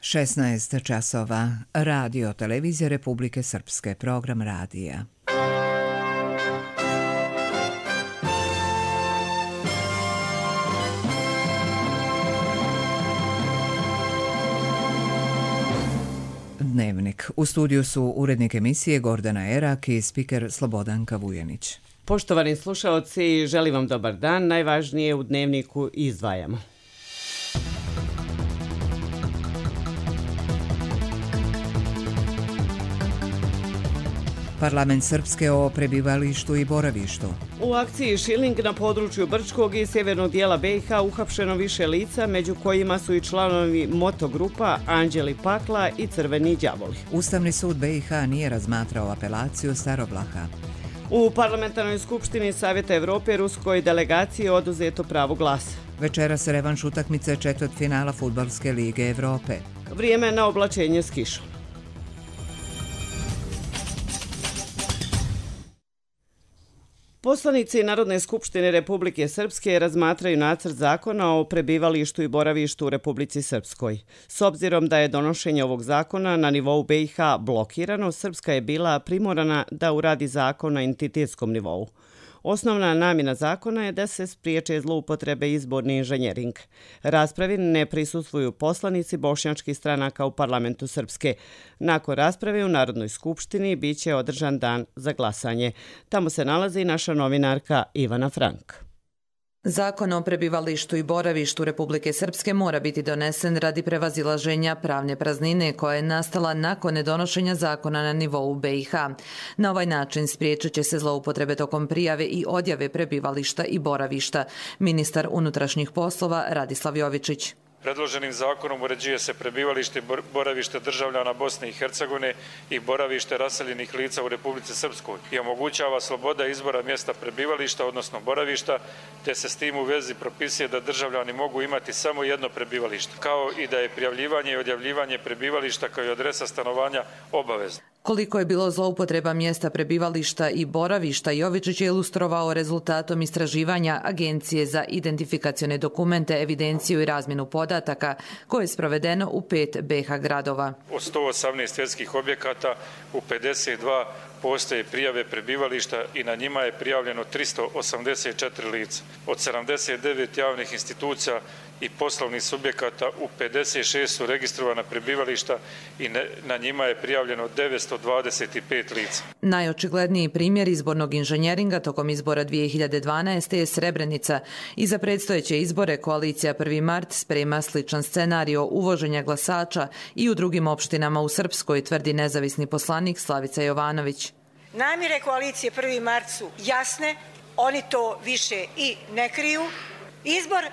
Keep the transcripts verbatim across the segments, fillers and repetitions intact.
šesnaest časova. Radio Televizija Republike Srpske. Program radija. Dnevnik. U studiju su urednik emisije Gordana Erak i spiker Slobodanka Vujanić. Poštovani slušaoci, želim vam dobar dan. Najvažnije u Dnevniku izdvajamo. Parlament Srpske o prebivalištu i boravištu. U akciji Šiling na području Brčkog i sjevernog dijela B i H uhapšeno više lica, među kojima su i članovi motogrupa Anđeli Pakla i Crveni đavoli. Ustavni sud B i H nije razmatrao apelaciju Starovlaha. U Parlamentarnoj skupštini Savjeta Evrope ruskoj delegaciji oduzeto pravo glasa. Večeras revanš utakmice četvrtfinala Fudbalske lige Evrope. Vrijeme na oblačenje s kišom. Poslanici Narodne skupštine Republike Srpske razmatraju nacrt zakona o prebivalištu i boravištu u Republici Srpskoj. S obzirom da je donošenje ovog zakona na nivou B i H blokirano, Srpska je bila primorana da uradi zakon na entitetskom nivou. Osnovna namjena zakona je da se spriječe zloupotrebe izborni inženjering. Raspravi ne prisustvuju poslanici bošnjačkih stranaka u parlamentu Srpske. Nakon rasprave u Narodnoj skupštini bit će održan dan za glasanje. Tamo se nalazi naša novinarka Ivana Frank. Zakon o prebivalištu i boravištu Republike Srpske mora biti donesen radi prevazilaženja pravne praznine koja je nastala nakon nedonošenja zakona na nivou B i H. Na ovaj način spriječit će se zloupotrebe tokom prijave i odjave prebivališta i boravišta. Ministar unutrašnjih poslova Radislav Jovičić. Predloženim zakonom uređuje se prebivalište i boravište državljana Bosne i Hercegovine i boravište raseljenih lica u Republici Srpskoj i omogućava sloboda izbora mjesta prebivališta, odnosno boravišta, te se s tim u vezi propisuje da državljani mogu imati samo jedno prebivalište, kao i da je prijavljivanje i odjavljivanje prebivališta kao i adresa stanovanja obavezno. Koliko je bilo zloupotreba mjesta prebivališta i boravišta, Jovičić je ilustrovao rezultatom istraživanja Agencije za identifikacione dokumente, evidenciju i razmjenu podataka koje je sprovedeno u pet B i H gradova. Od sto osamnaest svjetskih objekata u pedeset dva postoje prijave prebivališta i na njima je prijavljeno tristo osamdeset četiri lica. Od sedamdeset devet javnih institucija i poslovnih subjekata u pedeset šest su registrovana prebivališta i na njima je prijavljeno devetsto dvadeset pet lica. Najočigledniji primjer izbornog inženjeringa tokom izbora dvije hiljade dvanaeste. je Srebrenica. I za predstojeće izbore koalicija prvi mart sprema sličan scenario uvoženja glasača i u drugim opštinama u Srpskoj, tvrdi nezavisni poslanik Slavica Jovanović. Namjere koalicije prvi mart su jasne, oni to više i ne kriju. Izbor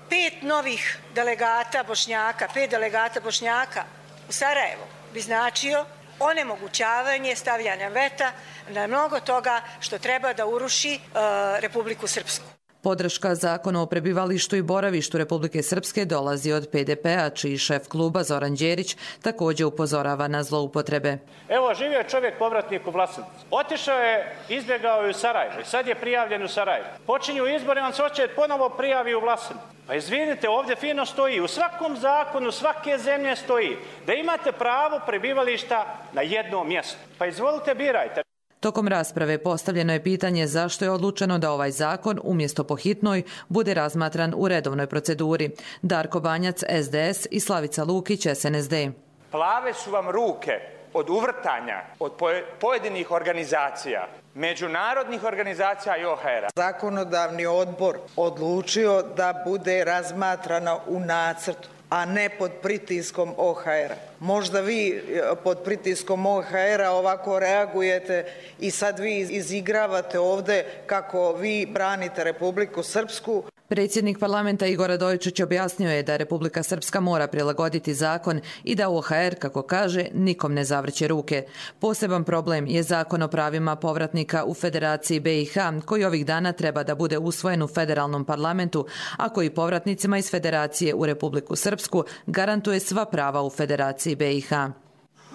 pet novih delegata Bošnjaka, pet delegata Bošnjaka u Sarajevo bi značio onemogućavanje stavljanja veta na mnogo toga što treba da uruši uh, Republiku Srpsku. Podrška zakonu o prebivalištu i boravištu Republike Srpske dolazi od P D P-a, čiji šef kluba Zoran Đerić također upozorava na zloupotrebe. Evo, živio je čovjek povratnik u Vlasotincu. Otišao je, izbjegao je u Sarajevo i sad je prijavljen u Sarajevo. Počinju izbori, on se hoće ponovo prijavi u Vlasotincu. Pa izvinite, ovdje fino stoji, u svakom zakonu svake zemlje stoji da imate pravo prebivališta na jednom mjestu. Pa izvolite, birajte. Tokom rasprave postavljeno je pitanje zašto je odlučeno da ovaj zakon, umjesto po hitnoj, bude razmatran u redovnoj proceduri. Darko Banjac, S D S i Slavica Lukić, S N S D. Plave su vam ruke od uvrtanja, od pojedinih organizacija, međunarodnih organizacija i O H R-a. Zakonodavni odbor odlučio da bude razmatrana u nacrtu, a ne pod pritiskom O H R-a. Možda vi pod pritiskom O H R-a ovako reagujete i sad vi izigravate ovdje kako vi branite Republiku Srpsku. Predsjednik parlamenta Igor Radojičić objasnio je da Republika Srpska mora prilagoditi zakon i da O H R, kako kaže, nikom ne zavrće ruke. Poseban problem je zakon o pravima povratnika u Federaciji B i H, koji ovih dana treba da bude usvojen u federalnom parlamentu, a koji povratnicima iz Federacije u Republiku Srpsku garantuje sva prava u Federaciji B i H.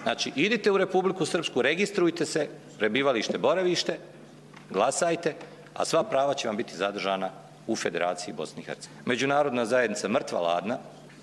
Znači, idite u Republiku Srpsku, registrujte se, prebivalište, boravište, glasajte, a sva prava će vam biti zadržana u Federaciji Bosne i Hercegovine. Međunarodna zajednica mrtva ladna,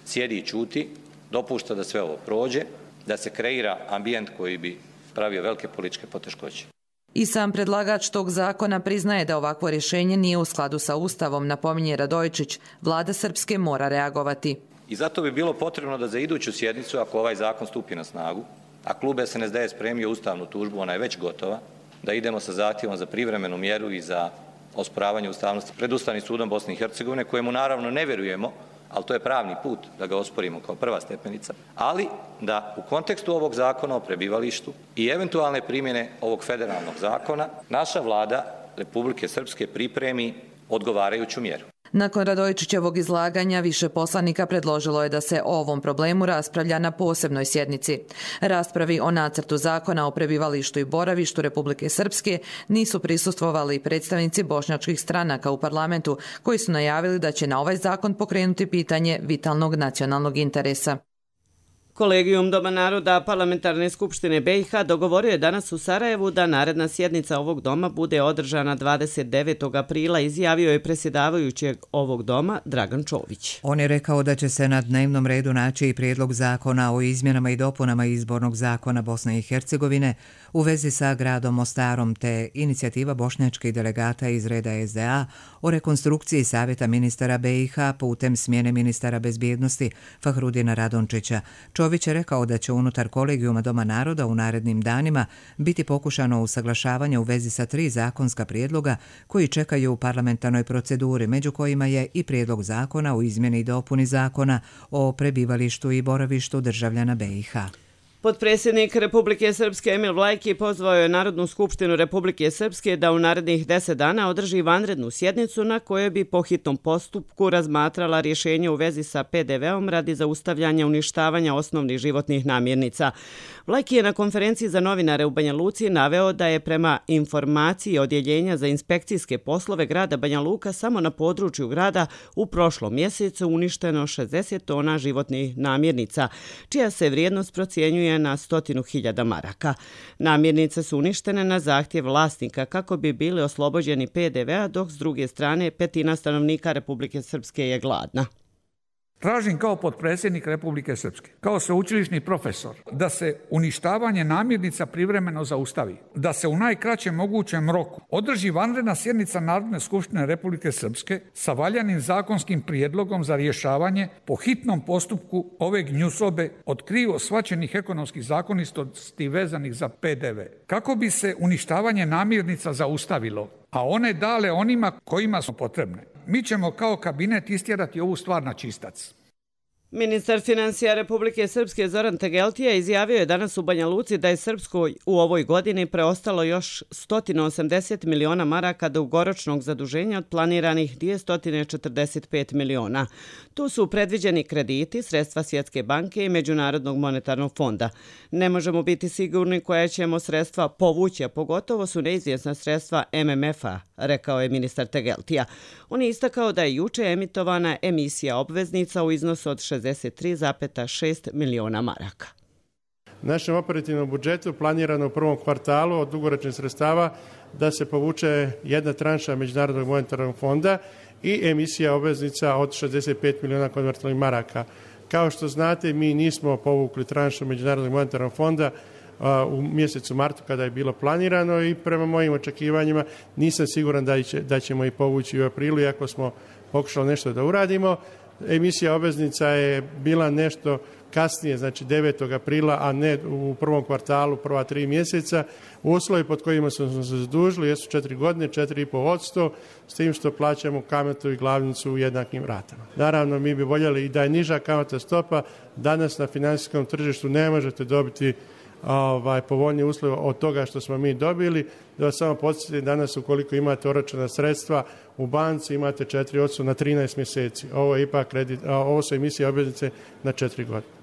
sjedi i čuti, dopušta da sve ovo prođe, da se kreira ambijent koji bi pravio velike političke poteškoće. I sam predlagač tog zakona priznaje da ovakvo rješenje nije u skladu sa Ustavom, napominje Radojičić. Vlada Srpske mora reagovati. I zato bi bilo potrebno da za iduću sjednicu, ako ovaj zakon stupi na snagu, a klub S N S D je spremio ustavnu tužbu, ona je već gotova, da idemo sa zahtjevom za privremenu mjeru i za osporavanje ustavnosti pred Ustavnim sudom Bosne i Hercegovine, kojemu naravno ne vjerujemo, ali to je pravni put da ga osporimo kao prva stepenica, ali da u kontekstu ovog zakona o prebivalištu i eventualne primjene ovog federalnog zakona naša vlada Republike Srpske pripremi odgovarajuću mjeru. Nakon Radojičićevog izlaganja više poslanika predložilo je da se o ovom problemu raspravlja na posebnoj sjednici. Raspravi o nacrtu zakona o prebivalištu i boravištu Republike Srpske nisu prisustvovali predstavnici bošnjačkih stranaka u parlamentu, koji su najavili da će na ovaj zakon pokrenuti pitanje vitalnog nacionalnog interesa. Kolegijum Doma naroda Parlamentarne skupštine B i H dogovorio je danas u Sarajevu da naredna sjednica ovog doma bude održana dvadeset devetog aprila, izjavio je predsjedavajućeg ovog doma Dragan Čović. On je rekao da će se na dnevnom redu naći i prijedlog zakona o izmjenama i dopunama izbornog zakona Bosne i Hercegovine u vezi sa gradom Mostarom, te inicijativa bošnjačkih delegata iz reda S D A o rekonstrukciji Savjeta ministara B i H putem smjene ministara bezbjednosti Fahrudina Radončića. Čović je rekao da će unutar kolegijuma Doma naroda u narednim danima biti pokušano usaglašavanje u vezi sa tri zakonska prijedloga koji čekaju u parlamentarnoj proceduri, među kojima je i prijedlog zakona o izmjeni i dopuni zakona o prebivalištu i boravištu državljana B i H. Potpredsjednik Republike Srpske Emil Vlajki pozvao je Narodnu skupštinu Republike Srpske da u narednih deset dana održi vanrednu sjednicu na kojoj bi po hitnom postupku razmatrala rješenje u vezi sa P D V-om radi zaustavljanja uništavanja osnovnih životnih namirnica. Vlajki je na konferenciji za novinare u Banja Luci naveo da je prema informaciji Odjeljenja za inspekcijske poslove grada Banja Luka samo na području grada u prošlom mjesecu uništeno šezdeset tona životnih namirnica, čija se vrijednost procjenjuje na stotinu hiljada maraka. Namirnice su uništene na zahtjev vlasnika kako bi bili oslobođeni P D V-a, dok s druge strane petina stanovnika Republike Srpske je gladna. Tražim kao potpredsjednik Republike Srpske, kao sveučilišni profesor, da se uništavanje namirnica privremeno zaustavi, da se u najkraćem mogućem roku održi vanredna sjednica Narodne skupštine Republike Srpske sa valjanim zakonskim prijedlogom za rješavanje po hitnom postupku ove gnjusobe od krivo shvaćenih ekonomskih zakonistosti vezanih za P D V. Kako bi se uništavanje namirnica zaustavilo, a one dale onima kojima su potrebne. Mi ćemo kao kabinet istjerati ovu stvar na čistac. Ministar financija Republike Srpske Zoran Tegeltija izjavio je danas u Banja Luci da je Srpskoj u ovoj godini preostalo još sto osamdeset miliona maraka dugoročnog zaduženja od planiranih dvjesto četrdeset pet miliona. Tu su predviđeni krediti, sredstva Svjetske banke i Međunarodnog monetarnog fonda. Ne možemo biti sigurni koja ćemo sredstva povući, a pogotovo su neizvjesna sredstva M M F-a, rekao je ministar Tegeltija. On je istakao da je juče emitovana emisija obveznica u iznosu od šezdeset tri zarez šest miliona maraka. Našem operativnom budžetu planirano u prvom kvartalu od dugoročnih sredstava da se povuče jedna tranša Međunarodnog monetarnog fonda i emisija obveznica od šezdeset pet miliona konvertibilnih maraka. Kao što znate, mi nismo povukli tranšu Međunarodnog monetarnog fonda u mjesecu martu kada je bilo planirano i prema mojim očekivanjima nisam siguran da, će, da ćemo i povući u aprilu, iako smo pokušali nešto da uradimo. Emisija obveznica je bila nešto kasnije, znači devetog aprila, a ne u prvom kvartalu, prva tri mjeseca. Uslovi pod kojima smo se zadužili jesu četiri godine, četiri i pol odsto, s tim što plaćamo kamatu i glavnicu u jednakim ratama. Naravno, mi bi voljeli i da je niža kamatna stopa. Danas na financijskom tržištu ne možete dobiti ovaj, povoljnije uslove od toga što smo mi dobili. Da vas samo podsjetim, danas ukoliko imate oročena sredstva u banci imate četiri odsto na trinaest mjeseci. Ovo je ipak kredit, ovo su emisije obveznice na četiri godine.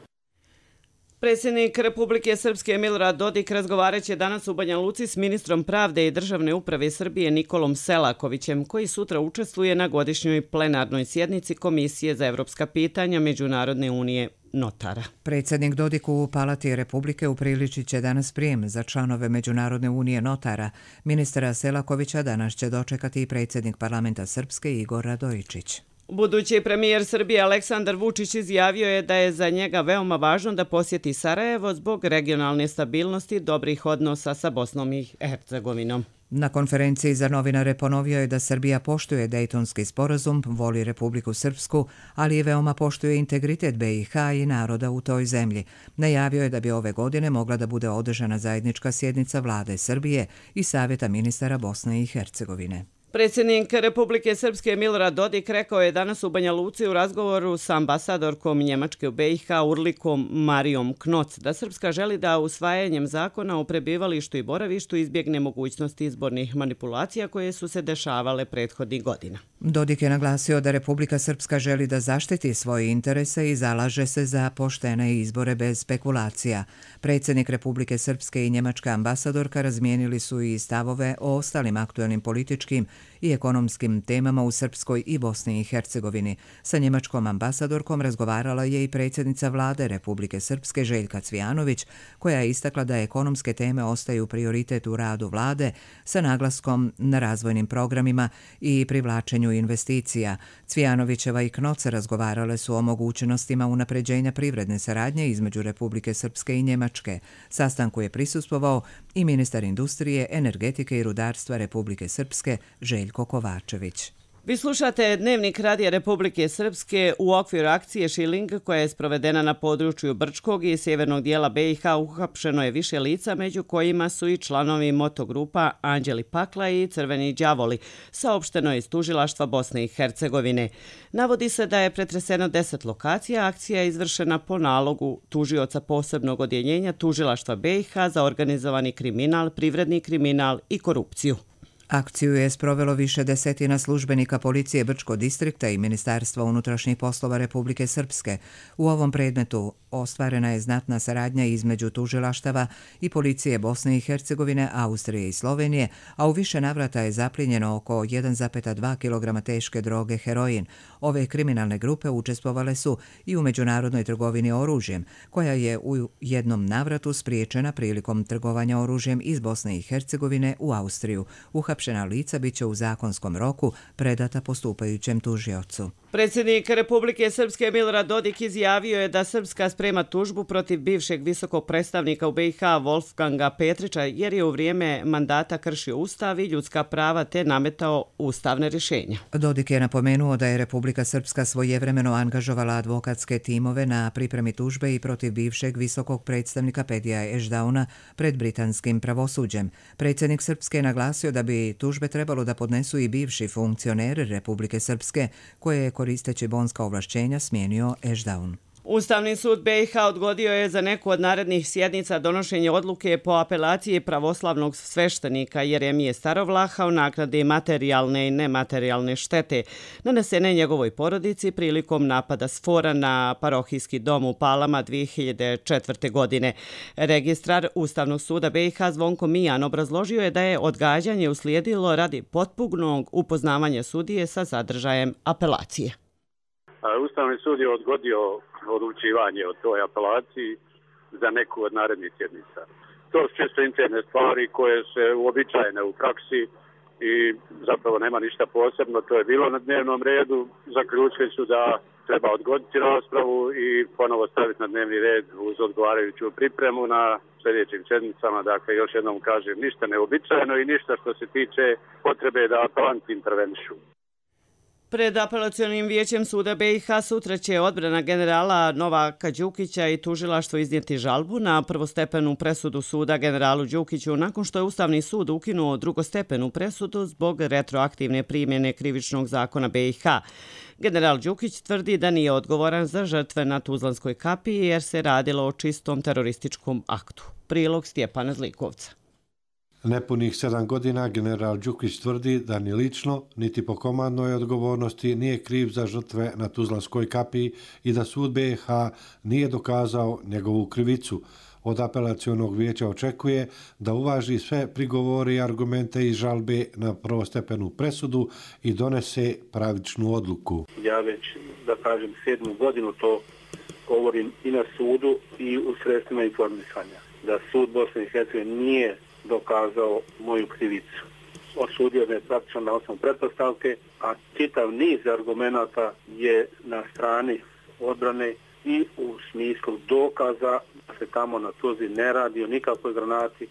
Predsjednik Republike Srpske Milorad Dodik razgovarat će danas u Banja Luci s ministrom pravde i državne uprave Srbije Nikolom Selakovićem, koji sutra učestvuje na godišnjoj plenarnoj sjednici Komisije za evropska pitanja Međunarodne unije notara. Predsjednik Dodik u Palati Republike upriličit će danas prijem za članove Međunarodne unije notara. Ministra Selakovića danas će dočekati i predsjednik parlamenta Srpske Igor Radojičić. Budući premijer Srbije Aleksandar Vučić izjavio je da je za njega veoma važno da posjeti Sarajevo zbog regionalne stabilnosti i dobrih odnosa sa Bosnom i Hercegovinom. Na konferenciji za novinare ponovio je da Srbija poštuje Dejtonski sporazum, voli Republiku Srpsku, ali i veoma poštuje integritet B i H i naroda u toj zemlji. Najavio je da bi ove godine mogla da bude održana zajednička sjednica vlade Srbije i Savjeta ministara Bosne i Hercegovine. Predsjednik Republike Srpske Milorad Dodik rekao je danas u Banja Luci u razgovoru sa ambasadorkom Njemačke u B i H Urlikom Marijom Knoc da Srpska želi da usvajanjem zakona o prebivalištu i boravištu izbjegne mogućnosti izbornih manipulacija koje su se dešavale prethodnih godina. Dodik je naglasio da Republika Srpska želi da zaštiti svoje interese i zalaže se za poštene izbore bez spekulacija. Predsjednik Republike Srpske i njemačka ambasadorka razmijenili su i stavove o ostalim aktuelnim političkim i ekonomskim temama u Srpskoj i Bosni i Hercegovini. Sa njemačkom ambasadorkom razgovarala je i predsjednica vlade Republike Srpske Željka Cvijanović, koja je istakla da ekonomske teme ostaju prioritet u radu vlade sa naglaskom na razvojnim programima i privlačenju investicija. Cvijanovićeva i Knoc razgovarale su o mogućnostima unapređenja privredne saradnje između Republike Srpske i Njemačke. Sastanku je prisustvovao i ministar industrije, energetike i rudarstva Republike Srpske Željko Kovačević. Vi slušate Dnevnik Radija Republike Srpske u okviru akcije Šiling koja je sprovedena na području Brčkog i sjevernog dijela B i H. Uhapšeno je više lica, među kojima su i članovi motogrupa Anđeli Pakla i Crveni đavoli, saopšteno je iz tužilaštva Bosne i Hercegovine. Navodi se da je pretreseno deset lokacija, akcija je izvršena po nalogu tužioca posebnog odjeljenja tužilaštva B i H za organizovani kriminal, privredni kriminal i korupciju. Akciju je sprovelo više desetina službenika policije Brčkog distrikta i Ministarstva unutrašnjih poslova Republike Srpske. U ovom predmetu ostvarena je znatna saradnja između tužilaštava i policije Bosne i Hercegovine, Austrije i Slovenije, a u više navrata je zaplijenjeno oko jedan zarez dva kilograma teške droge heroin. Ove kriminalne grupe učestvovale su i u međunarodnoj trgovini oružjem, koja je u jednom navratu spriječena prilikom trgovanja oružjem iz Bosne i Hercegovine u Austriju. Uhapšena lica bit će u zakonskom roku predata postupajućem tužiocu. Predsjednik Republike Srpske Milorad Dodik izjavio je da Srpska sprema tužbu protiv bivšeg visokog predstavnika u B i H Wolfganga Petrića jer je u vrijeme mandata kršio ustav i ljudska prava te nametao ustavne rješenja. Dodik je napomenuo da je Republika Srpska svojevremeno angažovala advokatske timove na pripremi tužbe i protiv bivšeg visokog predstavnika Pedija Ešdauna pred britanskim pravosuđem. Predsjednik Srpske je naglasio da bi tužbe trebalo da podnesu i bivši funkcioneri Republike Srpske koje je koristeći bonska ovlašćenja smijenio Ešdaun. Ustavni sud B i H odgodio je za neku od narednih sjednica donošenje odluke po apelaciji pravoslavnog sveštenika Jeremije Starovlaha o naknadi materijalne i nematerijalne štete nanesene njegovoj porodici prilikom napada Sfora na parohijski dom u Palama dvije hiljade četvrte. godine. Registrar Ustavnog suda B i H Zvonko Mijan obrazložio je da je odgađanje uslijedilo radi potpunog upoznavanja sudije sa sadržajem apelacije. Ustavni sud je odgodio odlučivanje o toj apelaciji za neku od narednih sjednica. To su čisto interne stvari koje se uobičajene u praksi i zapravo nema ništa posebno. To je bilo na dnevnom redu. Zaključili su da treba odgoditi raspravu i ponovo staviti na dnevni red uz odgovarajuću pripremu na sljedećim sjednicama. Dakle, još jednom kažem, ništa neobičajeno i ništa što se tiče potrebe da apelanti intervenišu. Pred apelacionim vijećem suda B i H sutra će odbrana generala Novaka Đukića i tužilaštvo iznijeti žalbu na prvostepenu presudu suda generalu Đukiću nakon što je Ustavni sud ukinuo drugostepenu presudu zbog retroaktivne primjene krivičnog zakona B i H. General Đukić tvrdi da nije odgovoran za žrtve na Tuzlanskoj kapiji jer se radilo o čistom terorističkom aktu. Prilog Stjepana Zlikovca. Nepunih sedam godina general Đukić tvrdi da ni lično, niti po komandnoj odgovornosti nije kriv za žrtve na Tuzlanskoj kapiji i da sud B i H nije dokazao njegovu krivicu. Od apelacionog vijeća očekuje da uvaži sve prigovore i argumente iz žalbe na prvostepenu presudu i donese pravičnu odluku. Ja već, da kažem, sedmu godinu to govorim i na sudu i u sredstvima informisanja. Da sud Bosne i Hercegovine nije dokazao moju krivicu. osudio da je praktično na osnovu pretpostavke, a čitav niz argumenata je na strani odbrane i u smislu dokaza da se tamo na Tuzli ne radi o nikakvoj granati,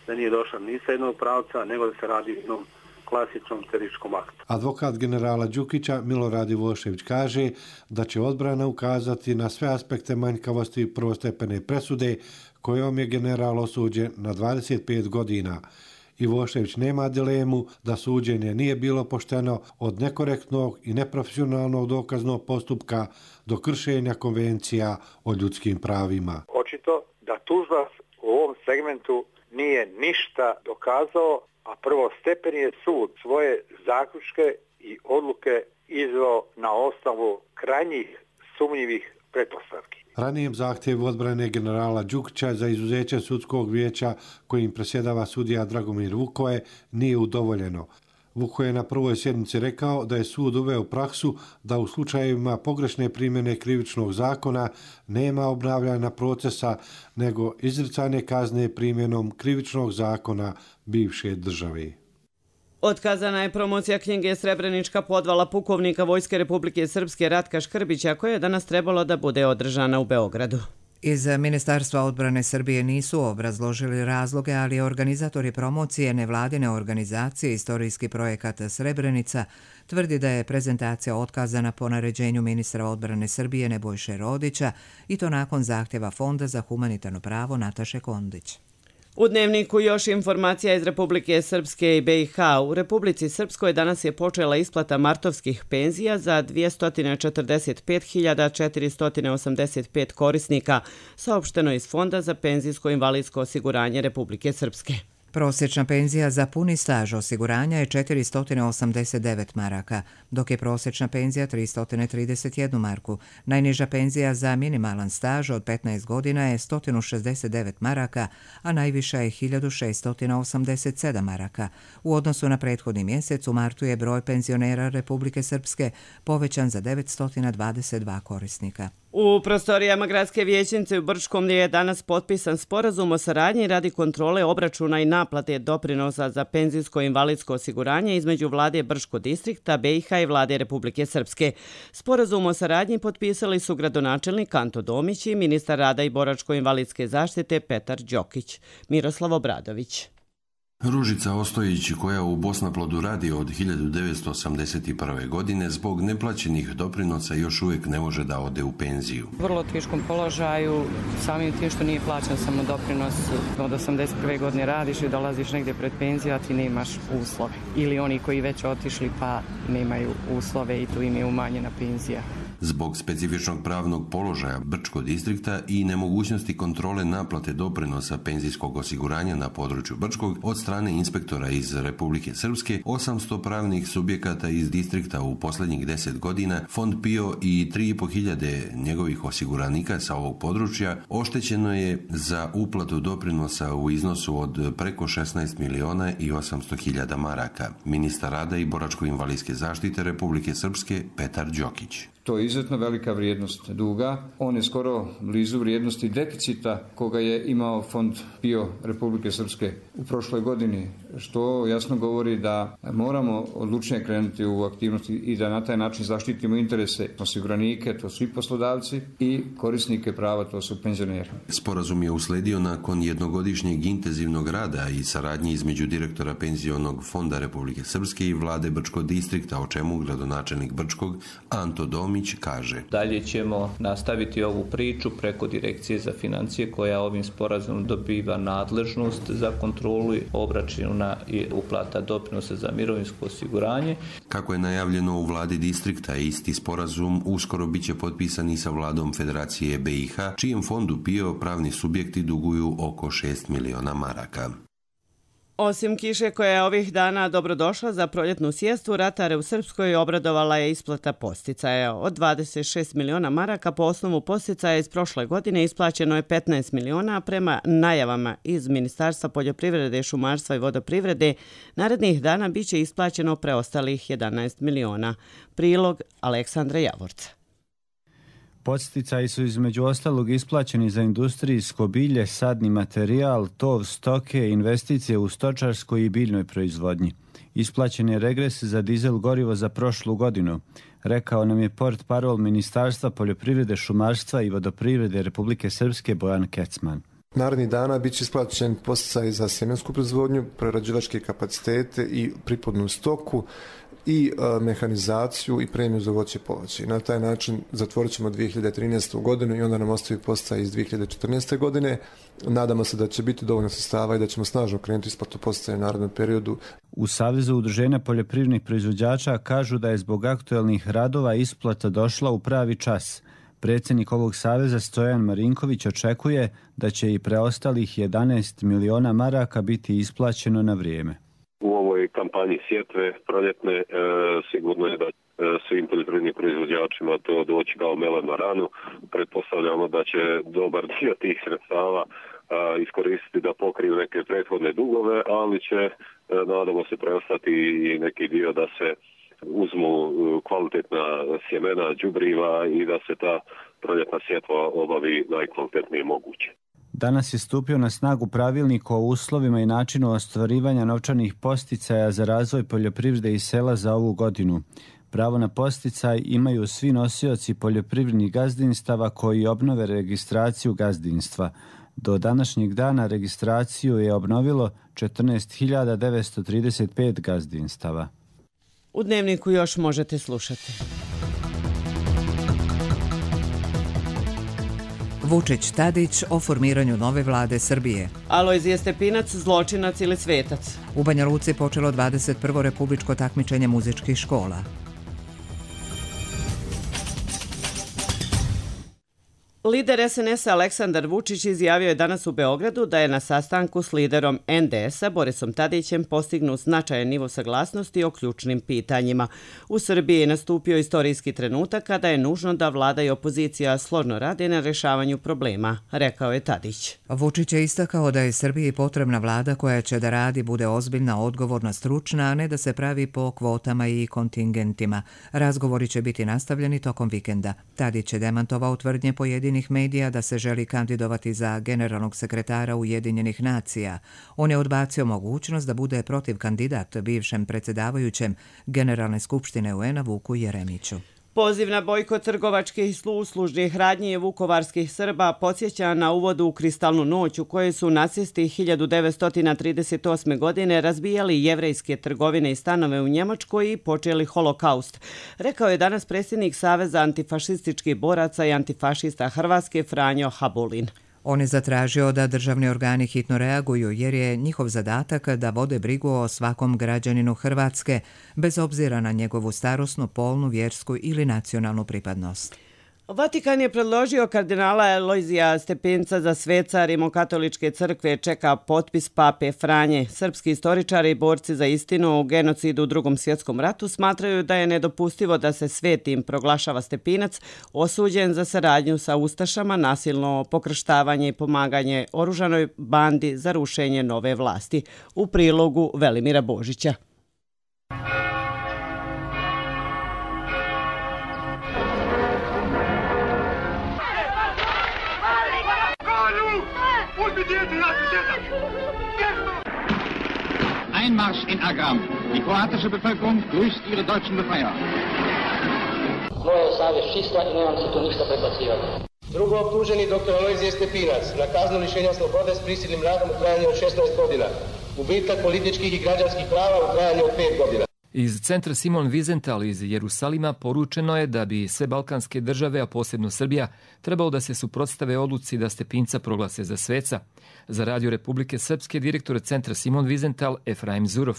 da nije došla ni sa jednog pravca, nego da se radi o jednom klasičnom terorističkom aktu. Advokat generala Đukića Milorad Ivošević kaže da će odbrana ukazati na sve aspekte manjkavosti prvostepene presude kojom je general osuđen na dvadeset pet godina. Ivošević nema dilemu da suđenje nije bilo pošteno od nekorektnog i neprofesionalnog dokaznog postupka do kršenja konvencija o ljudskim pravima. Očito da tužilac u ovom segmentu nije ništa dokazao, a prvostepeni je sud svoje zaključke i odluke izveo na osnovu krajnjih sumnjivih pretpostavki. Ranijem zahtjevu odbrane generala Đukića za izuzeće sudskog vijeća kojim presjedava sudija Dragomir Vukoje nije udovoljeno. Vukoje je na prvoj sjednici rekao da je sud uveo praksu da u slučajevima pogrešne primjene krivičnog zakona nema obnavljanja procesa, nego izricanje kazne primjenom krivičnog zakona bivše države. Otkazana je promocija knjige Srebrenička podvala pukovnika Vojske Republike Srpske Ratka Škrbića, koja je danas trebalo da bude održana u Beogradu. Iz Ministarstva odbrane Srbije nisu obrazložili razloge, ali organizatori promocije nevladine organizacije Istorijski projekat Srebrenica tvrdi da je prezentacija otkazana po naređenju ministra odbrane Srbije Nebojše Rodića i to nakon zahtjeva Fonda za humanitarno pravo Nataše Kondić. U Dnevniku još informacija iz Republike Srpske i B i H. U Republici Srpskoj danas je počela isplata martovskih penzija za dvjesto četrdeset pet hiljada četiristo osamdeset pet korisnika, saopšteno iz Fonda za penzijsko-invalidsko osiguranje Republike Srpske. Prosječna penzija za puni staž osiguranja je četiristo osamdeset devet maraka, dok je prosječna penzija tristo trideset jedna marku. Najniža penzija za minimalan staž od petnaest godina je sto šezdeset devet maraka, a najviša je hiljadu šeststo osamdeset sedam maraka. U odnosu na prethodni mjesec u martu je broj penzionera Republike Srpske povećan za devetsto dvadeset dva korisnika. U prostorijama gradske vijećnice u Brčkom je danas potpisan sporazum o saradnji radi kontrole obračuna i naplate doprinosa za penzijsko-invalidsko osiguranje između vlade Brčkog distrikta, B i H i vlade Republike Srpske. Sporazum o saradnji potpisali su gradonačelnik Anto Domić i ministar rada i boračko-invalidske zaštite Petar Đokić. Miroslav Obradović. Ružica Ostojić, koja u Bosnaplodu radi od hiljadu devetsto osamdeset prve. godine, zbog neplaćenih doprinosa još uvijek ne može da ode u penziju. U vrlo teškom položaju, samim tim što nije plaćan samo doprinos, od osamdeset prve. godine radiš i dolaziš negdje pred penziju, a ti nemaš uslove. Ili oni koji već otišli pa nemaju uslove i tu im je umanjena penzija. Zbog specifičnog pravnog položaja Brčkog distrikta i nemogućnosti kontrole naplate doprinosa penzijskog osiguranja na području Brčkog od strane inspektora iz Republike Srpske, osamsto pravnih subjekata iz distrikta u posljednjih deset godina, Fond P I O i tri i po hiljade njegovih osiguranika sa ovog područja oštećeno je za uplatu doprinosa u iznosu od preko šesnaest miliona i osamsto hiljada maraka. Ministar rada i boračko-invalidske zaštite Republike Srpske Petar Đokić. To je izuzetno velika vrijednost duga. On je skoro blizu vrijednosti deficita koga je imao Fond P I O Republike Srpske u prošloj godini, što jasno govori da moramo odlučnije krenuti u aktivnosti i da na taj način zaštitimo interese osiguranike, to su i poslodavci, i korisnike prava, to su penzioneri. Sporazum je usledio nakon jednogodišnjeg intenzivnog rada i saradnje između direktora Penzionog fonda Republike Srpske i vlade Brčkog distrikta, o čemu gradonačelnik Brčkog Anto Domić kaže. Dalje ćemo nastaviti ovu priču preko Direkcije za financije, koja ovim sporazumom dobiva nadležnost za kontrolu obračuna i uplata doprinosa za mirovinsko osiguranje. Kako je najavljeno u vladi distrikta, isti sporazum uskoro biće potpisan i sa vladom Federacije B i H, čijem fondu P I O pravni subjekti duguju oko šest miliona maraka. Osim kiše koja je ovih dana dobrodošla za proljetnu sijestu, ratare u Srpskoj obradovala je isplata posticaja. Od dvadeset šest miliona maraka po osnovu posticaja iz prošle godine isplaćeno je petnaest miliona, a prema najavama iz Ministarstva poljoprivrede, šumarstva i vodoprivrede narednih dana biće isplaćeno preostalih jedanaest miliona. Prilog Aleksandra Javorca. Podsticaji su između ostalog isplaćeni za industrijsko bilje, sadni materijal, tov stoke, investicije u stočarskoj i biljnoj proizvodnji. Isplaćen je regres za dizel gorivo za prošlu godinu, rekao nam je portparol Ministarstva poljoprivrede, šumarstva i vodoprivrede Republike Srpske Bojan Kecman. Narednih dana bit će isplaćen podsticaj za sjemensku proizvodnju, prerađivačke kapacitete i priplodnu stoku i e, mehanizaciju i premiju za voće i povrće. Na taj način zatvorit ćemo dvije hiljade trinaestu. godinu i onda nam ostavi podsticaj iz dvije hiljade četrnaeste. godine. Nadamo se da će biti dovoljno sredstava i da ćemo snažno krenuti isplatu podsticaja u narednom periodu. U Savezu udruženja poljoprivrednih proizvođača kažu da je zbog aktuelnih radova isplata došla u pravi čas. Predsjednik ovog saveza Stojan Marinković očekuje da će i preostalih jedanaest miliona maraka biti isplaćeno na vrijeme. U ovoj kampanji sjetve proljetne e, sigurno je da e, svim poljoprivrednim proizvođačima to doći kao melem na ranu. Pretpostavljamo da će dobar dio tih sredstava a, iskoristiti da pokriju neke prethodne dugove, ali će, e, nadamo se, preostati i neki dio da se uzmu kvalitetna sjemena, đubriva i da se ta proljetna sjetva obavi najkvalitetnije moguće. Danas je stupio na snagu pravilnik o uslovima i načinu ostvarivanja novčanih podsticaja za razvoj poljoprivrede i sela za ovu godinu. Pravo na podsticaj imaju svi nosioci poljoprivrednih gazdinstava koji obnove registraciju gazdinstva. Do današnjeg dana registraciju je obnovilo četrnaest hiljada devetsto trideset pet gazdinstava. U Dnevniku još možete slušati. Vučić Tadić o formiranju nove vlade Srbije. Alojzije Stepinac, zločinac ili svetac? U Banja Luci počelo dvadeset prvo republičko takmičenje muzičkih škola. Lider es en es-a Aleksandar Vučić izjavio je danas u Beogradu da je na sastanku s liderom en de es-a Borisom Tadićem postignut značajan nivo saglasnosti o ključnim pitanjima. U Srbiji je nastupio istorijski trenutak kada je nužno da vlada i opozicija složno rade na rješavanju problema, rekao je Tadić. Vučić je istakao da je Srbiji potrebna vlada koja će da radi, bude ozbiljna, odgovorna, stručna, a ne da se pravi po kvotama i kontingentima. Razgovori će biti nastavljeni tokom vikenda. Tadić je demantovao tvrdnje pojedinih medija da se želi kandidovati za generalnog sekretara Ujedinjenih nacija. On je odbacio mogućnost da bude protiv kandidat bivšem predsjedavajućem Generalne skupštine u en a Vuku Jeremiću. Poziv na bojkot trgovačkih i uslužnih radnji vukovarskih Srba podsjeća na uvodu u kristalnu noć u kojoj su nacisti hiljadu devetsto trideset osme. godine razbijali jevrejske trgovine i stanove u Njemačkoj i počeli holokaust, rekao je danas predsjednik Saveza antifašističkih boraca i antifašista Hrvatske Franjo Habulin. On je zatražio da državni organi hitno reaguju jer je njihov zadatak da vode brigu o svakom građaninu Hrvatske, bez obzira na njegovu starosnu, polnu, vjersku ili nacionalnu pripadnost. Vatikan je predložio kardinala Alojzija Stepinca za sveca Rimokatoličke crkve, čeka potpis pape Franje. Srpski istoričari i borci za istinu o genocidu u Drugom svjetskom ratu smatraju da je nedopustivo da se svetim proglašava Stepinac, osuđen za saradnju sa ustašama, nasilno pokrštavanje i pomaganje oružanoj bandi za rušenje nove vlasti. U prilogu Velimira Božića. Einmarsch in Agram. Die kroatische Bevölkerung grüßt ihre deutschen Befreier. Moja je savjest čista i nemam se tu ništa prebacivati. Drugo optuženi doktor Alojzije Stepinac na kaznu lišenja slobode s prisilnim radom u trajanju od šesnaest godina. Gubitak političkih i građanskih prava u trajanju od pet godina. Iz centra Simon Wiesenthal iz Jerusalima poručeno je da bi sve balkanske države, a posebno Srbija, trebalo da se suprotstave odluci da Stepinca proglase za sveca. Za Radio Republike Srpske direktor centra Simon Wiesenthal Efraim Zurov.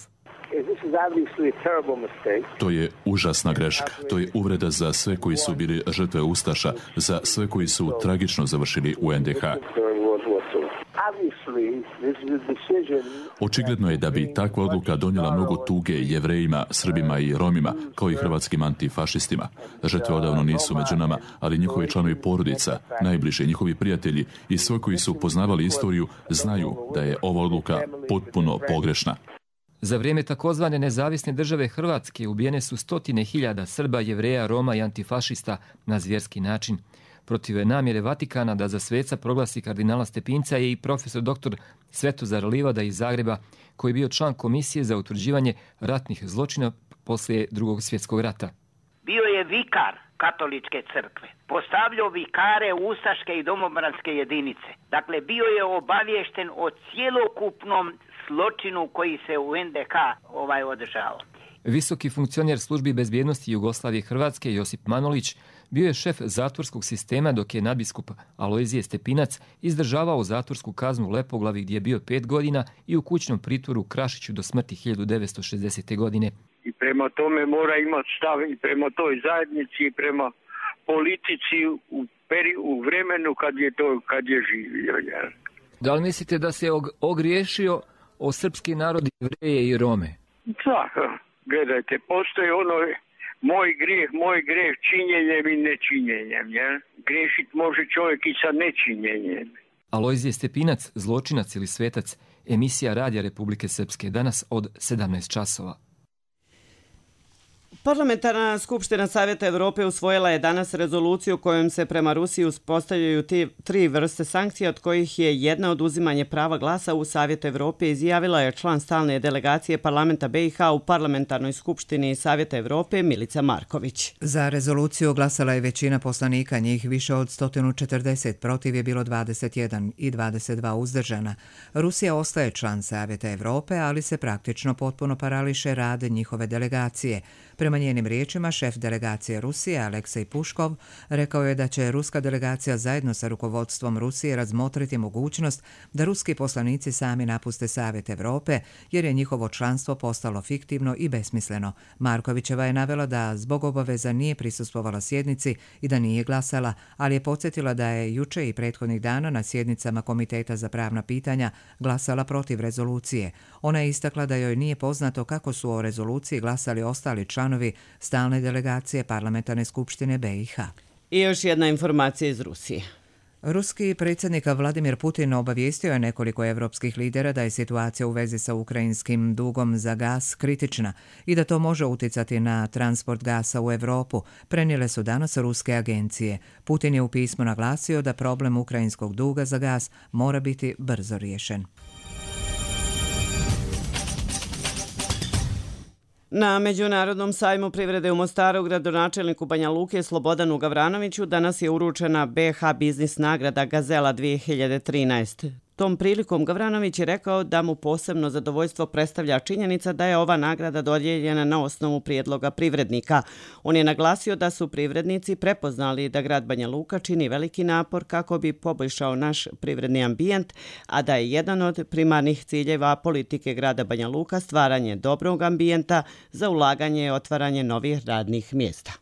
To je užasna greška. To je uvreda za sve koji su bili žrtve ustaša, za sve koji su tragično završili u en de ha. Očigledno je da bi takva odluka donijela mnogo tuge Jevrejima, Srbima i Romima, kao i hrvatskim antifašistima. Žrtve odavno nisu među nama, ali njihovi članovi porodica, najbliže njihovi prijatelji i svi koji su poznavali istoriju znaju da je ova odluka potpuno pogrešna. Za vrijeme takozvane nezavisne države Hrvatske ubijene su stotine hiljada Srba, Jevreja, Roma i antifašista na zvjerski način. Protiv namjere Vatikana da za sveca proglasi kardinala Stepinca je i profesor doktor Svetozar Livada iz Zagreba, koji je bio član komisije za utvrđivanje ratnih zločina poslije Drugog svjetskog rata. Bio je vikar katoličke crkve. Postavljao vikare ustaške i domobranske jedinice. Dakle, bio je obaviješten o cjelokupnom zločinu koji se u en de ka ovaj održao. Visoki funkcioner službi bezbjednosti Jugoslavije Hrvatske Josip Manolić bio je šef zatvorskog sistema dok je nadbiskup Alojzije Stepinac izdržavao zatvorsku kaznu u Lepoglavi gdje je bio pet godina i u kućnom pritvoru u Krašiću do smrti hiljadu devetsto šezdesete. godine. I prema tome mora imati stav i prema toj zajednici i prema politici u, peri, u vremenu kad je to kad je živio. Ja. Da li mislite da se og, ogriješio o srpski narod, Jevreje i Rome? Da, gledajte, postoji ono moj grijeh, moj grijeh činjenjem i nečinjenjem. Ja. Griješit može čovjek i sa nečinjenjem. Alojzije Stepinac, zločinac ili svetac, emisija Radija Republike Srpske, danas od sedamnaest časova. Parlamentarna skupština Savjeta Evrope usvojila je danas rezoluciju kojom se prema Rusiji uspostavljaju tri vrste sankcija, od kojih je jedna oduzimanje prava glasa u Savjetu Evrope, izjavila je član stalne delegacije parlamenta be i ha u Parlamentarnoj skupštini Savjeta Evrope Milica Marković. Za rezoluciju glasala je većina poslanika, njih više od sto četrdeset, protiv je bilo dvadeset jedan i dvadeset dva uzdržana. Rusija ostaje član Savjeta Evrope, ali se praktično potpuno parališe rad njihove delegacije. Prema njenim riječima, šef delegacije Rusije Aleksej Puškov rekao je da će ruska delegacija zajedno sa rukovodstvom Rusije razmotriti mogućnost da ruski poslanici sami napuste Savjet Evrope, jer je njihovo članstvo postalo fiktivno i besmisleno. Markovićeva je navela da zbog obaveza nije prisustvovala sjednici i da nije glasala, ali je podsjetila da je juče i prethodnih dana na sjednicama Komiteta za pravna pitanja glasala protiv rezolucije. Ona je istakla da joj nije poznato kako su o rezoluciji glasali ostali članovi stalne delegacije Parlamentarne skupštine be i ha. I još jedna informacija iz Rusije. Ruski predsjednik Vladimir Putin obavijestio je nekoliko evropskih lidera da je situacija u vezi sa ukrajinskim dugom za gas kritična i da to može utjecati na transport gasa u Europu, prenijele su danas ruske agencije. Putin je u pismu naglasio da problem ukrajinskog duga za gas mora biti brzo riješen. Na Međunarodnom sajmu privrede u Mostaru gradonačelniku Banja Luke Slobodanu Gavranoviću danas je uručena be ha biznis nagrada Gazela dvije hiljade trinaest. Tom prilikom Gavranović je rekao da mu posebno zadovoljstvo predstavlja činjenica da je ova nagrada dodijeljena na osnovu prijedloga privrednika. On je naglasio da su privrednici prepoznali da grad Banja Luka čini veliki napor kako bi poboljšao naš privredni ambijent, a da je jedan od primarnih ciljeva politike grada Banja Luka stvaranje dobrog ambijenta za ulaganje i otvaranje novih radnih mjesta.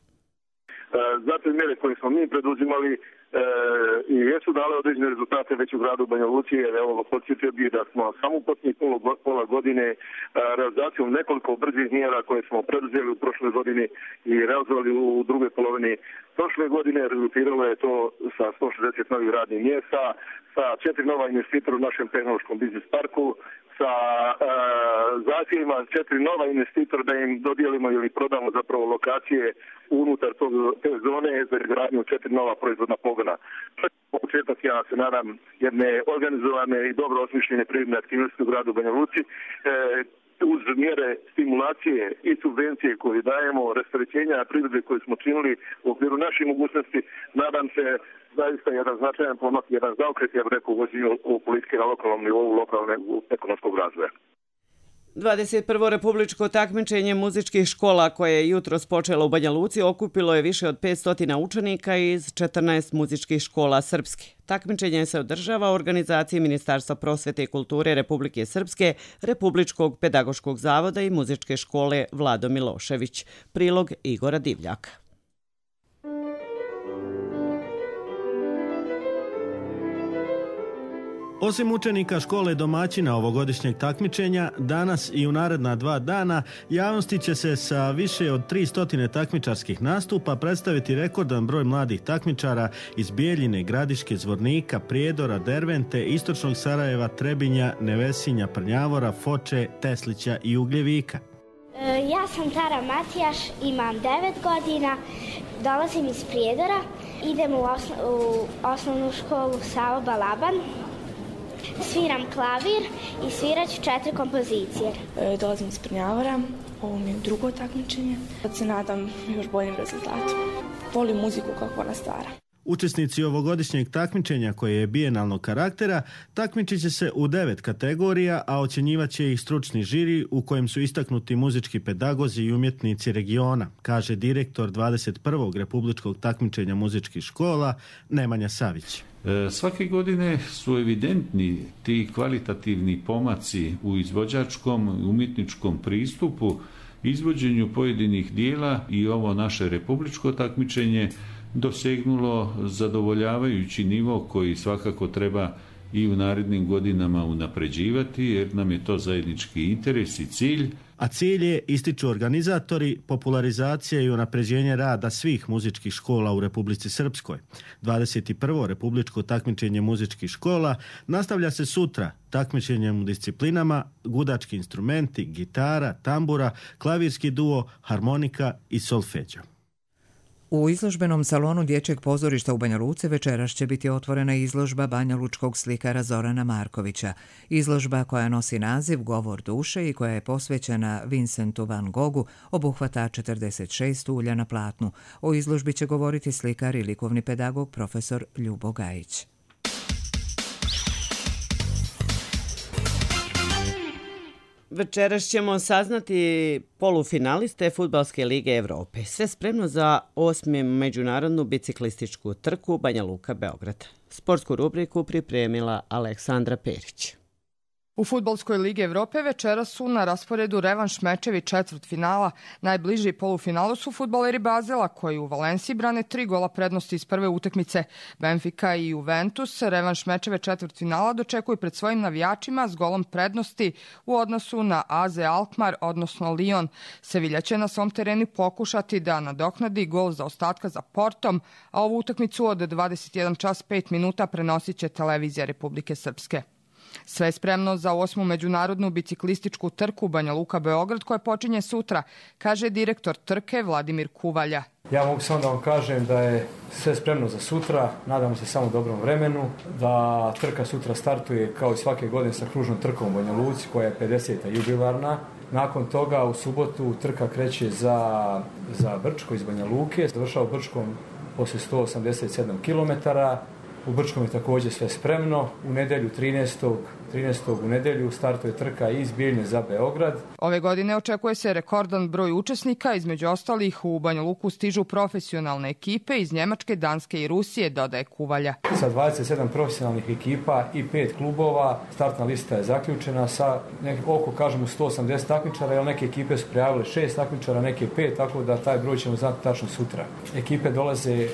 Zato mjere koje smo mi preduzimali E, i jesu dale određene rezultate već u gradu Banja Luci, jer evo podsjetio bih da smo samo u posljednjih pola godine a, realizacijom nekoliko brzih mjera koje smo preduzeli u prošloj godini i realizovali u drugoj polovini prošle godine, rezultiralo je to sa sto šezdeset novih radnih mjesta, sa četiri nova investitora u našem tehnološkom biznis parku, sa e, zahtjevima četiri nova investitora da im dodijelimo ili prodamo zapravo lokacije unutar tog, te zone za izgradnju četiri nova proizvodna pogona. Početak, ja se nadam, jedne organizovane i dobro osmišljene privredne aktivnosti u gradu Banja Luci, e, uz mjere stimulacije i subvencije koje dajemo, rasterećenja privrede koje smo činili u okviru naših mogućnosti, nadam se zaista jedan značajan pomak, jedan zaokret, ja bih rekao, u politike na lokalnom nivou, lokalnog ekonomskog razvoja. dvadeset prvo republičko takmičenje muzičkih škola koje je jutros počelo u Banja Luci okupilo je više od petsto učenika iz četrnaest muzičkih škola srpske. Takmičenje se održava u organizaciji Ministarstva prosvete i kulture Republike Srpske, Republičkog pedagoškog zavoda i muzičke škole Vlado Milošević. Prilog Igora Divljaka. Osim učenika škole domaćina ovogodišnjeg takmičenja, danas i u naredna dva dana javnosti će se sa više od tristo takmičarskih nastupa predstaviti rekordan broj mladih takmičara iz Bijeljine, Gradiške, Zvornika, Prijedora, Dervente, Istočnog Sarajeva, Trebinja, Nevesinja, Prnjavora, Foče, Teslića i Ugljevika. Ja sam Tara Matijaš, imam devet godina Dolazim iz Prijedora, idem u, osno, u osnovnu školu Savo Balaban, sviram klavir i svirat ću četiri kompozicije. E, dolazim iz Prnjavora, ovo mi je drugo takmičenje. Sad se nadam još boljim rezultatom. Volim muziku kako ona stvara. Učesnici ovogodišnjeg takmičenja koje je bijenalnog karaktera takmičit će se u devet kategorija, a ocjenjivat će ih stručni žiri u kojem su istaknuti muzički pedagozi i umjetnici regiona, kaže direktor dvadeset prvog republičkog takmičenja muzičkih škola Nemanja Savić. E, svake godine su evidentni ti kvalitativni pomaci u izvođačkom i umjetničkom pristupu, izvođenju pojedinih dijela i ovo naše republičko takmičenje dosegnulo zadovoljavajući nivo koji svakako treba i u narednim godinama unapređivati jer nam je to zajednički interes i cilj. A cilj je, ističu organizatori, popularizacija i unapređenje rada svih muzičkih škola u Republici Srpskoj. dvadeset prvo republičko takmičenje muzičkih škola nastavlja se sutra takmičenjem u disciplinama gudački instrumenti, gitara, tambura, klavirski duo, harmonika i solfeđo. U izložbenom salonu Dječjeg pozorišta u Banja Luci večeras će biti otvorena izložba banjalučkog slikara Zorana Markovića. Izložba koja nosi naziv Govor duše i koja je posvećena Vincentu van Goghu obuhvata četrdeset šest ulja na platnu. O izložbi će govoriti slikar i likovni pedagog profesor Ljubo Gajić. Večeras ćemo saznati polufinaliste Fudbalske lige Evrope. Sve spremno za osmi međunarodnu biciklističku trku Banja Luka Beograd. Sportsku rubriku pripremila Aleksandra Perić. U Fudbalskoj ligi Evrope večeras su na rasporedu revanš mečevi četvrtfinala. Najbliži polufinalu su fudbaleri Bazela koji u Valenciji brane tri gola prednosti iz prve utakmice. Benfica i Juventus revanš mečeve četvrtfinala dočekuju pred svojim navijačima s golom prednosti u odnosu na A Z Alkmaar, odnosno Lyon. Sevilla će na svom terenu pokušati da nadoknadi gol za ostatka za Portom, a ovu utakmicu od dvadeset jedan čas pet minuta prenosit će televizija Republike Srpske. Sve je spremno za osmu međunarodnu biciklističku trku Banja Luka Beograd koja počinje sutra, kaže direktor trke Vladimir Kuvalja. Ja mogu samo da vam kažem da je sve spremno za sutra, nadamo se samo dobrom vremenu, da trka sutra startuje kao i svake godine sa kružnom trkom u Banja Luci koja je pedeseta jubilarna. Nakon toga u subotu trka kreće za, za Brčko iz Banja Luke, završava Brčkom poslije sto osamdeset sedam kilometara. U Brčkom je također sve spremno. U nedelju trinaestog u nedelju startuje trka iz Bijeljne za Beograd. Ove godine očekuje se rekordan broj učesnika, između ostalih u Banja Luku stižu profesionalne ekipe iz Njemačke, Danske i Rusije, dodaje Kuvalja. Sa dvadeset sedam profesionalnih ekipa i pet klubova startna lista je zaključena sa nek, oko kažemo sto osamdeset takmičara, jer neke ekipe su prijavile šest takmičara, neke pet, tako da taj broj ćemo znati tačno sutra. Ekipe dolaze e,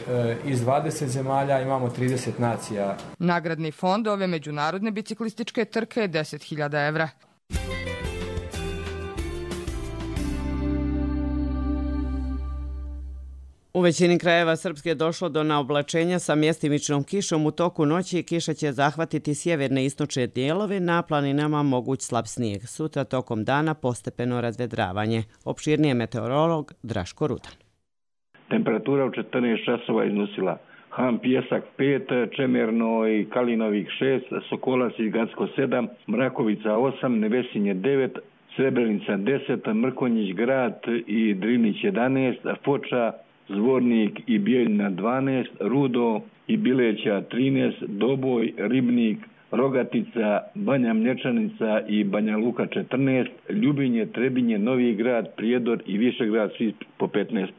iz dvadeset zemalja, imamo trideset nacija. Nagradni fond ove međunarodne biciklističke trke je deset hiljada evra. U većini krajeva Srpske je došlo do naoblačenja sa mjestimičnom kišom. U toku noći kiša će zahvatiti sjeverne i istočne dijelove, na planinama moguć slab snijeg. Sutra tokom dana postepeno razvedravanje. Opširnije meteorolog Draško Rudan. Temperatura u četrnaest časova iznosila Han Pjesak pet, Čemerno i Kalinovih šest, Sokolac i Gacko sedam, Mrakovica osam, Nevesinje devet, Srebrenica deset, Mrkonjić Grad i Drinić jedanaest, Foča, Zvornik i Bijeljina dvanaest, Rudo i Bileća trinaest, Doboj, Ribnik, Rogatica, Banja Mlječanica i Banja Luka četrnaest, Ljubinje, Trebinje, Novi Grad, Prijedor i Višegrad svi po petnaest,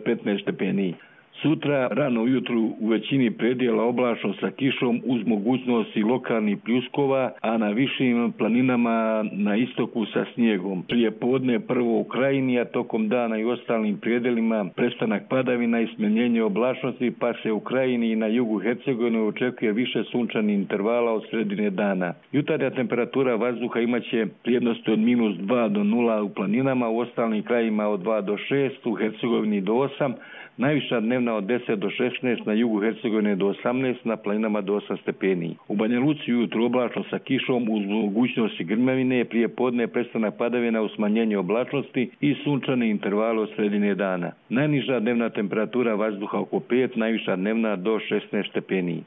petnaest stepeni. Sutra rano ujutru u većini predjela oblačno sa kišom uz mogućnosti lokalnih pljuskova, a na višim planinama na istoku sa snijegom. Prije podne prvo u Krajini, a tokom dana i ostalim predjelima prestanak padavina i smanjenje oblačnosti, pa se u Krajini i na jugu Hercegovine očekuje više sunčanih intervala od sredine dana. Jutarnja temperatura vazduha imaće vrijednosti od minus dva do nula u planinama, u ostalim krajima od dva do šest, u Hercegovini do osam, Najviša dnevna od deset do šesnaest, na jugu Hercegovine do osamnaest, na planinama do osam stepeni. U Banja Luci ujutro oblačno sa kišom uz mogućnosti grmavine, prije podne prestanak padavina u smanjenje oblačnosti i sunčani interval od sredine dana. Najniža dnevna temperatura vazduha oko pet, najviša dnevna do šesnaest stepeni.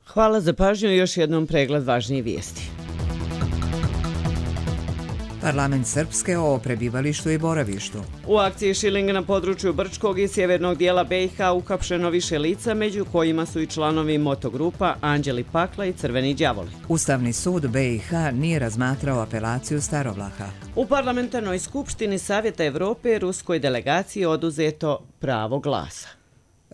Hvala za pažnju i još jednom pregled važnijih vijesti. Parlament Srpske o prebivalištu i boravištu. U akciji Šiling na području Brčkog i sjevernog dijela B i H uhapšeno više lica, među kojima su i članovi motogrupa Anđeli Pakla i Crveni đavoli. Ustavni sud B i H nije razmatrao apelaciju Starovlaha. U parlamentarnoj skupštini Savjeta Evrope ruskoj delegaciji oduzeto pravo glasa.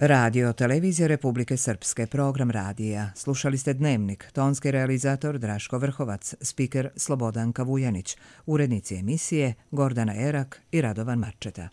Radio Televizija Republike Srpske, program radija. Slušali ste Dnevnik, tonski realizator Draško Vrhovac, spiker Slobodanka Vujanić, urednici emisije Gordana Erak i Radovan Marčeta.